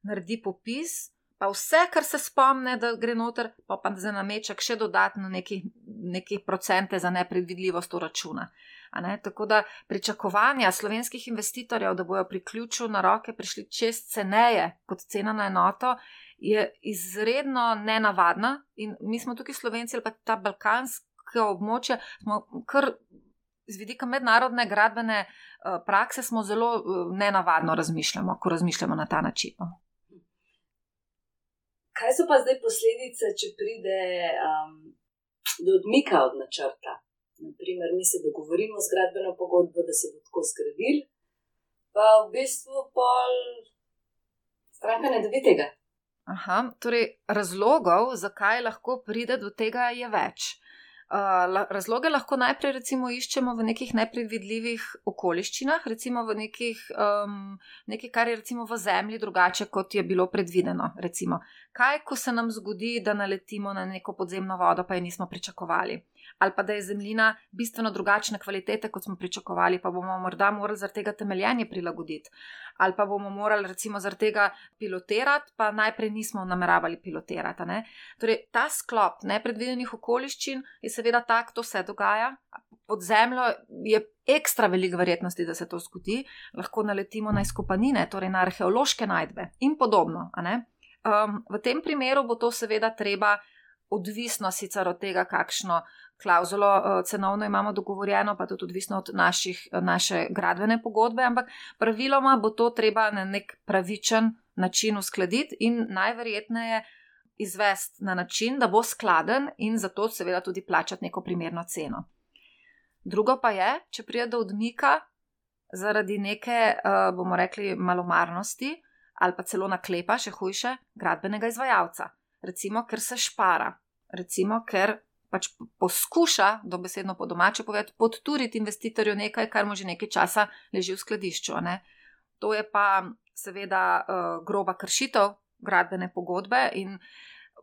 naredi popis, pa vse, kar se spomne, da gre noter, pa za nameček še dodatno neki procente za nepredvidljivost v računa. Tako da pričakovanja slovenskih investitorjev, da bojo pri ključu na roke prišli čez ceneje kot cena na enoto, je izredno nenavadna in mi smo tukaj Slovenci ali pa ta balkansko območje, smo kar z vidika mednarodne gradbene prakse smo zelo nenavadno razmišljamo, ko razmišljamo na ta način. Kaj so pa zdaj posledice, če pride do odmika od načrta? Naprimer, mi se dogovorimo z gradbeno pogodbo, da se bo tako zgradil, pa v bistvu pol stranka ne dobi tega. Torej razlogov, zakaj lahko pride do tega, je več. Razloge lahko najprej recimo iščemo v nekih nepredvidljivih okoliščinah, recimo v nekaj, kar je recimo v zemlji drugače, kot je bilo predvideno. Recimo, kaj, ko se nam zgodi, da naletimo na neko podzemno vodo, pa je nismo pričakovali. Ali pa da je zemljina bistveno drugačne kvalitete, kot smo pričakovali, pa bomo morda morali zaradi tega temeljenje prilagoditi. Ali pa bomo morali recimo zaradi tega pilotirati, pa najprej nismo nameravali pilotirati. Torej, ta sklop nepredvidenih okoliščin je seveda tak, to se dogaja. Pod zemljo je ekstra veliko verjetnosti, da se to zgodi. Lahko naletimo na izkopanine, torej na arheološke najdbe in podobno. V tem primeru bo to seveda treba, odvisno sicer od tega, kakšno klavzulo cenovno imamo dogovorjeno, pa tudi odvisno od naše gradbene pogodbe, ampak praviloma bo to treba na nek pravičen način uskladiti in najverjetneje izvesti na način, da bo skladen in zato seveda tudi plačati neko primerno ceno. Drugo pa je, če pride do odmika zaradi neke, bomo rekli, malomarnosti ali pa celo naklepa, še hujše, gradbenega izvajalca. Recimo, ker se špara. Recimo, ker pač poskuša, dobesedno po domače povedati, podturiti investitorju nekaj, kar mu že nekaj časa leži v skladišču. To je pa seveda groba kršitev gradbene pogodbe in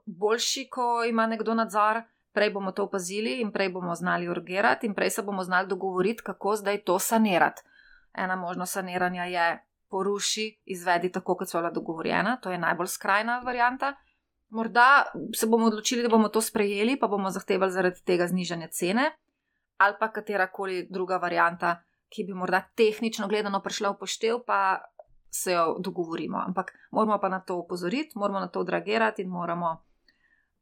boljši, ko ima nekdo nadzor, prej bomo to opazili in prej bomo znali urgirati in prej se bomo znali dogovoriti, kako zdaj to sanirati. Ena možnost saniranja je poruši, izvedi tako, kot so bila dogovorjena, to je najbolj skrajna varianta. Morda se bomo odločili, da bomo to sprejeli, pa bomo zahtevali zaradi tega znižanje cene, ali pa katerakoli druga varianta, ki bi morda tehnično gledano prišla v poštev, pa se jo dogovorimo. Ampak moramo pa na to opozoriti, moramo na to odreagirati in moramo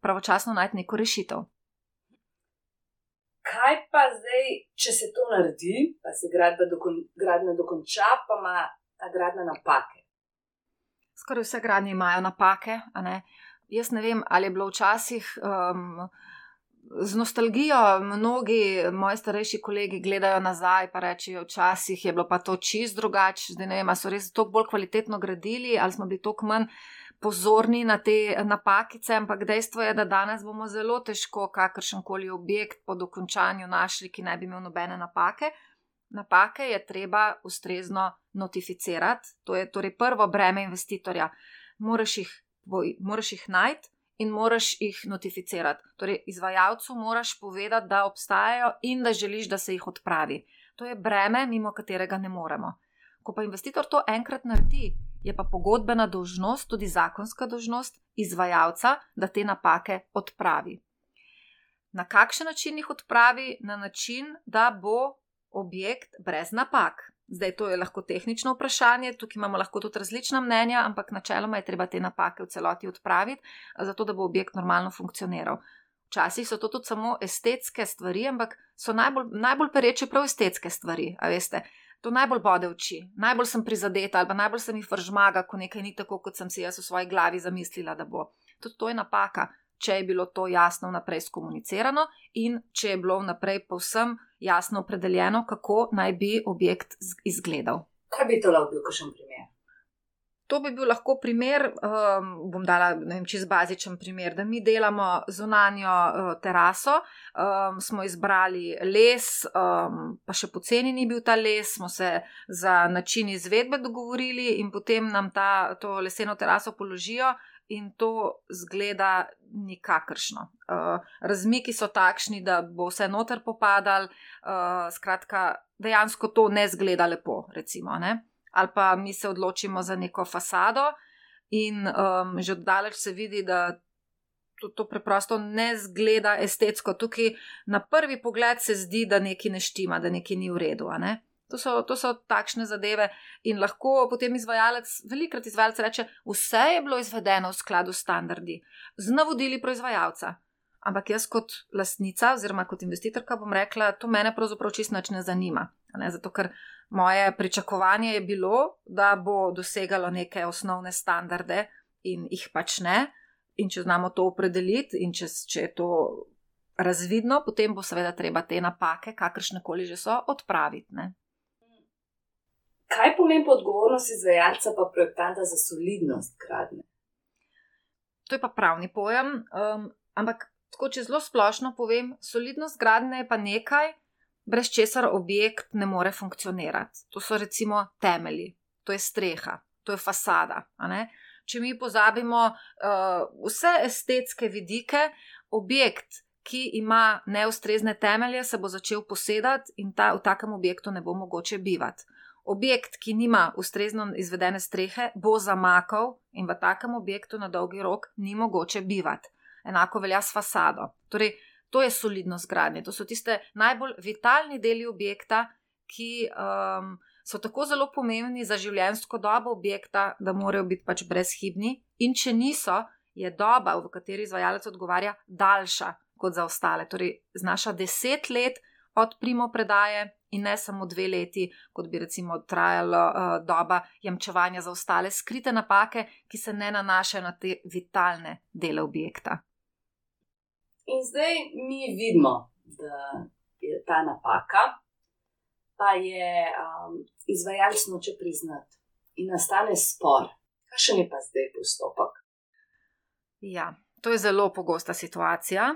pravočasno najti neko rešitev. Kaj pa zdaj, če se to naredi, pa se gradnja dokonča, pa ima ta gradnja napake? Skoraj vse gradnje imajo napake, a ne? Jaz ne vem, ali je bilo včasih z nostalgijo, mnogi moji starejši kolegi gledajo nazaj pa rečejo, včasih je bilo pa to čist drugače, zdaj ne vem, ali so res toliko bolj kvalitetno gradili, ali smo bili toliko manj pozorni na te napakice, ampak dejstvo je, da danes bomo zelo težko kakršenkoli objekt po dokončanju našli, ki ne bi imel nobene napake. Napake je treba ustrezno notificirati, to je torej prvo breme investitorja. Moraš jih najti in moraš jih notificirati. Torej, izvajalcu moraš povedati, da obstajajo in da želiš, da se jih odpravi. To je breme, mimo katerega ne moremo. Ko pa investitor to enkrat naredi, je pa pogodbena dolžnost, tudi zakonska dolžnost izvajalca, da te napake odpravi. Na kakšen način jih odpravi? Na način, da bo objekt brez napak. Zdaj, to je lahko tehnično vprašanje, tukaj imamo lahko tudi različna mnenja, ampak načeloma je treba te napake v celoti odpraviti, zato da bo objekt normalno funkcioniral. Včasih so to tudi samo estetske stvari, ampak so najbolj pereče prav estetske stvari, a veste. To najbolj bode oči, najbolj sem prizadeta ali pa najbolj se mi vržmaga, ko nekaj ni tako, kot sem si jaz v svoji glavi zamislila, da bo. Tudi to je napaka, če je bilo to jasno vnaprej skomunicirano in če je bilo vnaprej povsem jasno opredeljeno, kako naj bi objekt izgledal. Kaj bi to lahko bil kakšen primer? To bi bil lahko primer, bom dala čist bazičen primer, da mi delamo zunanjo teraso, smo izbrali les, pa še poceni ni bil ta les, smo se za način izvedbe dogovorili in potem nam to leseno teraso položijo in to zgleda nikakršno. Razmiki so takšni, da bo vse noter popadal, skratka, dejansko to ne zgleda lepo, recimo, ne? Ali pa mi se odločimo za neko fasado in že oddaleč se vidi, da to preprosto ne zgleda estetsko. Tukaj na prvi pogled se zdi, da nekaj ne štima, da nekaj ni v redu. A ne? To so takšne zadeve in lahko potem velikrat izvajalec reče, vse je bilo izvedeno v skladu s standardi, z navodili proizvajalca. Ampak jaz kot lastnica oziroma kot investitorka bom rekla, to mene pravzaprav čisto nič ne zanima. Ne? Zato ker moje pričakovanje je bilo, da bo dosegalo neke osnovne standarde in jih pač ne. In če znamo to opredeliti in če je to razvidno, potem bo seveda treba te napake, kakršnekoli že so, odpraviti. Ne? Kaj pomeni odgovornost izvajalca pa projektanta za solidnost gradnje? To je pa pravni pojem, ampak tako, če zelo splošno povem, solidnost gradnje je pa nekaj, brez česar objekt ne more funkcionirati. To so recimo temelji, to je streha, to je fasada. A ne? Če mi pozabimo vse estetske vidike, objekt, ki ima neustrezne temelje, se bo začel posedati in v takem objektu ne bo mogoče bivati. Objekt, ki nima ustrezno izvedene strehe, bo zamakal in v takem objektu na dolgi rok ni mogoče bivati. Enako velja s fasado. Torej, to je solidnost gradnje. To so tiste najbolj vitalni deli objekta, ki so tako zelo pomembni za življenjsko dobo objekta, da morajo biti pač brezhibni. In če niso, je doba, v kateri izvajalec odgovarja, daljša kot za ostale. Torej, znaša 10 let od primopredaje in ne samo 2 leti, kot bi recimo trajala doba jamčevanja za ostale skrite napake, ki se ne nanašajo na te vitalne dele objekta. In zdaj mi vidimo, da je ta napaka, pa je izvajalec noče priznati in nastane spor. Kakšen je pa zdaj postopek? Ja, to je zelo pogosta situacija.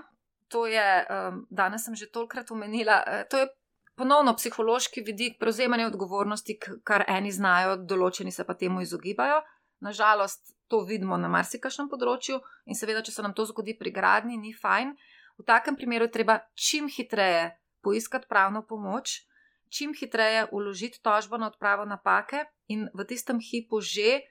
To je, danes sem že tolikrat omenila, to je ponovno psihološki vidik prevzemanja odgovornosti, kar eni znajo, določeni se pa temu izogibajo. Nažalost, to vidimo na marsikakšnem področju in seveda, če se nam to zgodi pri gradnji, ni fajn. V takem primeru je treba čim hitreje poiskati pravno pomoč, čim hitreje vložiti tožbo na odpravo napake in v tistem hipu že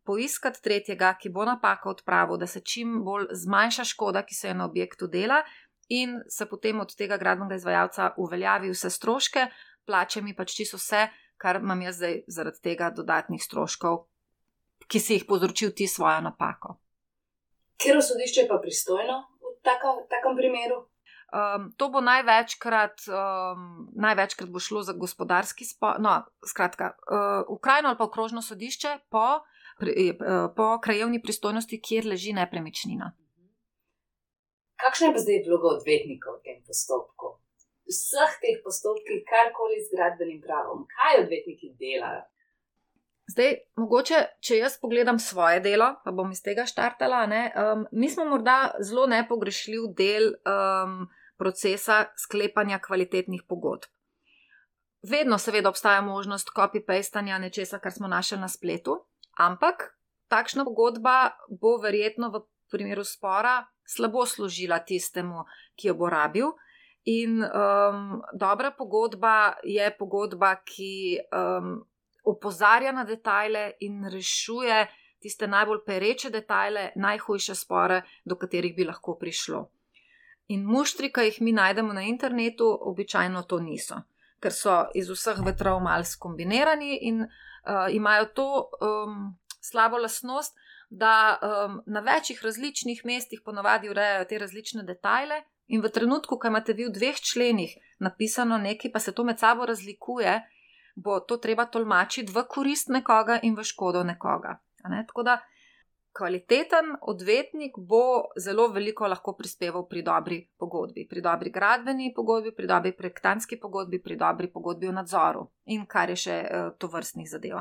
poiskati tretjega, ki bo napako odpravil, da se čim bolj zmanjša škoda, ki se je na objektu dela in se potem od tega gradbenega izvajalca uveljavi vse stroške, plače mi pač čisto vse, kar imam jaz zdaj zaradi tega dodatnih stroškov, ki si jih povzročil ti svojo napako. Katero sodišče je pa pristojno v takem primeru? To bo največkrat bo šlo za gospodarski spor, skratka, okrajno ali pa okrožno sodišče po krajevni pristojnosti, kjer leži nepremičnina. Kakšna je pa zdaj vloga odvetnika v tem postopku? V vseh teh postopkih, karkoli z gradbenim pravom, kaj odvetniki delajo? Zdaj, mogoče, če jaz pogledam svoje delo, pa bom iz tega štartala, mi smo morda zelo nepogrešljiv del procesa sklepanja kvalitetnih pogodb. Vedno seveda obstaja možnost copy-pastanja nečesa, kar smo našli na spletu, ampak takšna pogodba bo verjetno v primeru spora slabo služila tistemu, ki jo bo rabil. In dobra pogodba je pogodba, ki opozarja na detajle in rešuje tiste najbolj pereče detajle, najhujše spore, do katerih bi lahko prišlo. In muštri, ki jih mi najdemo na internetu, običajno to niso, ker so iz vseh vetrov malo skombinirani in imajo to slabo lastnost, da na večjih različnih mestih ponavadi urejajo te različne detajle in v trenutku, ko imate vi v 2 členih napisano nekaj, pa se to med sabo razlikuje, bo to treba tolmačiti v korist nekoga in v škodo nekoga. Tako da kvaliteten odvetnik bo zelo veliko lahko prispeval pri dobri pogodbi, pri dobri gradbeni pogodbi, pri dobri projektantski pogodbi, pri dobri pogodbi o nadzoru in kar je še tovrstnih zadev.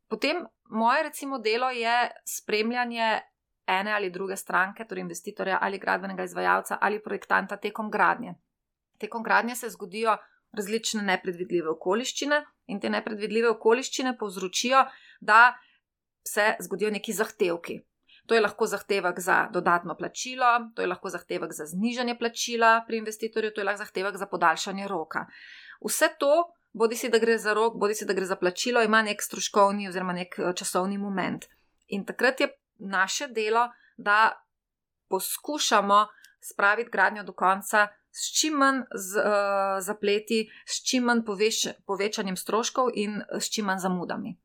Potem moje recimo delo je spremljanje ene ali druge stranke, torej investitorja ali gradbenega izvajalca ali projektanta tekom gradnje. Tekom gradnje se zgodijo različne nepredvidljive okoliščine in te nepredvidljive okoliščine povzročijo, da se zgodijo neki zahtevki. To je lahko zahtevek za dodatno plačilo, to je lahko zahtevek za znižanje plačila pri investitorju, to je lahko zahtevek za podaljšanje roka. Vse to, bodisi da gre za rok, bodisi da gre za plačilo, ima nek stroškovni oziroma nek časovni moment. In takrat je naše delo, da poskušamo spraviti gradnjo do konca s čim manj zapleti, s čim manj povečanjem stroškov in s čim manj zamudami.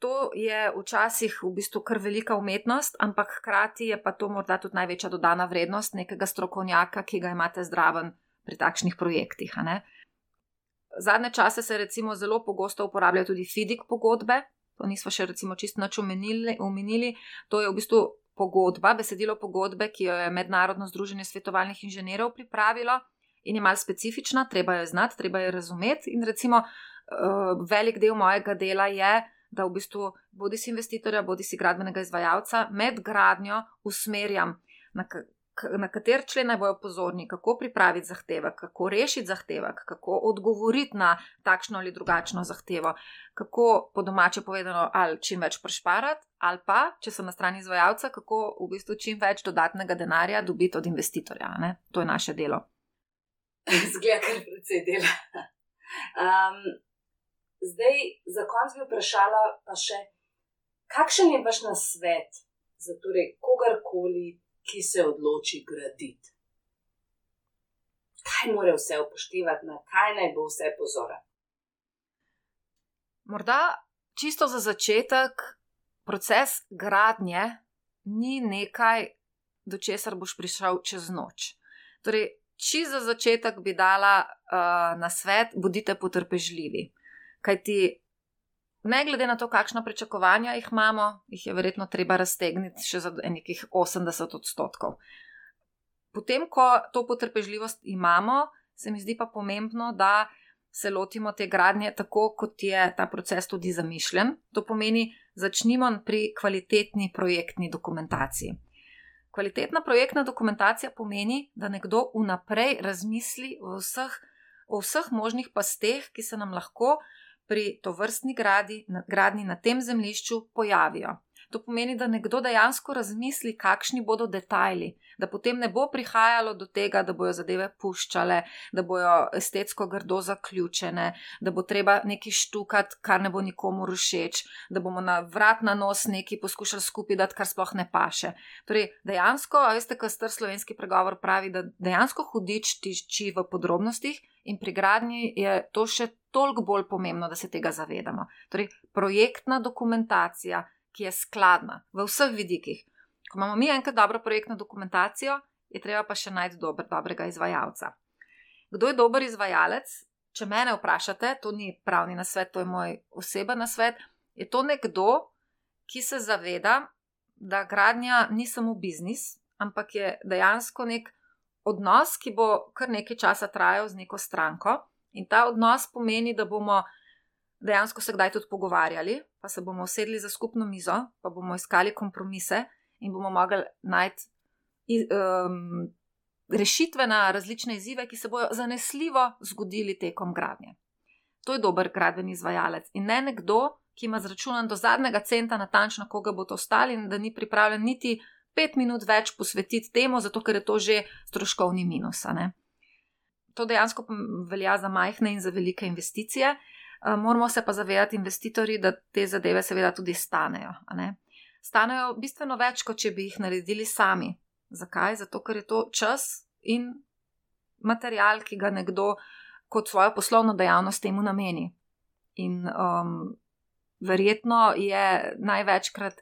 To je včasih v bistvu kar velika umetnost, ampak hkrati je pa to morda tudi največja dodana vrednost nekega strokovnjaka, ki ga imate zraven pri takšnih projektih. Zadnje čase se recimo zelo pogosto uporabljajo tudi FIDIC pogodbe, to nismo še recimo čisto nič omenili, to je v bistvu pogodba, besedilo pogodbe, ki jo je Mednarodno združenje svetovalnih inženirjev pripravilo in je malo specifična, treba jo znati, treba jo razumeti in recimo velik del mojega dela je, da v bistvu bodisi investitorja, bodisi gradbenega izvajalca med gradnjo usmerjam, na kater člen naj bojo pozorni, kako pripraviti zahtevek, kako rešiti zahtevek, kako odgovoriti na takšno ali drugačno zahtevo, kako po domače povedano ali čim več prešparati, ali pa, če sem na strani izvajalca, kako v bistvu čim več dodatnega denarja dobiti od investitorja. To je naše delo. Zgleda kar precej dela. Zdaj, za konec bi vprašala pa še, kakšen je vaš nasvet za torej kogarkoli, ki se odloči graditi? Kaj mora vse upoštevati, na kaj naj bo vse pozoren? Morda čisto za začetek, proces gradnje ni nekaj, do česar boš prišel čez noč. Torej, čisto za začetek bi dala nasvet, bodite potrpežljivi. Kajti ne glede na to, kakšna pričakovanja jih imamo, jih je verjetno treba raztegniti še za nekih 80%. Potem, ko to potrpežljivost imamo, se mi zdi pa pomembno, da se lotimo te gradnje tako, kot je ta proces tudi zamišljen. To pomeni, začnimo pri kvalitetni projektni dokumentaciji. Kvalitetna projektna dokumentacija pomeni, da nekdo vnaprej razmisli o vseh možnih pasteh, ki se nam lahko pri tovrstni gradnji na tem zemljišču pojavijo. To pomeni, da nekdo dejansko razmisli, kakšni bodo detajli, da potem ne bo prihajalo do tega, da bojo zadeve puščale, da bojo estetsko grdo zaključene, da bo treba nekaj štukati, kar ne bo nikomur všeč, da bomo na vrat na nos nekaj poskušali skupaj dati, kar sploh ne paše. Torej, dejansko, a veste, kar star slovenski pregovor pravi, da dejansko hudič tiči v podrobnostih in pri gradnji je to še toliko bolj pomembno, da se tega zavedamo. Torej, projektna dokumentacija, ki je skladna v vseh vidikih. Ko imamo mi enkrat dobro projektno dokumentacijo, je treba pa še najti dobrega izvajalca. Kdo je dober izvajalec? Če mene vprašate, to ni pravni nasvet, to je moj oseben nasvet, je to nekdo, ki se zaveda, da gradnja ni samo biznis, ampak je dejansko nek odnos, ki bo kar nekaj časa trajal z neko stranko, in ta odnos pomeni, da bomo dejansko se kdaj tudi pogovarjali, pa se bomo usedli za skupno mizo, pa bomo iskali kompromise in bomo mogli najti rešitve na različne izzive, ki se bojo zanesljivo zgodili tekom gradnje. To je dober gradbeni izvajalec in ne nekdo, ki ima zračunan do zadnjega centa natančno, koga bo to stalo in da ni pripravljen niti 5 minut več posvetiti temu, zato ker je to že stroškovni minus. To dejansko velja za majhne in za velike investicije. Moramo se pa zavedati investitorji, da te zadeve seveda tudi stanejo. Stanejo bistveno več, kot če bi jih naredili sami. Zakaj? Zato, ker je to čas in material, ki ga nekdo kot svojo poslovno dejavnost temu nameni. In verjetno je največkrat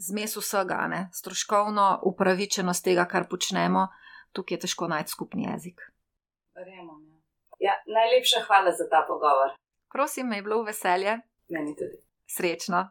zmes vsega, stroškovno upravičenost tega, kar počnemo, tukaj je težko najti skupni jezik. Verjamem. Ja, najlepša hvala za ta pogovor. Prosim, me je bilo v veselje. Meni tudi. Srečno.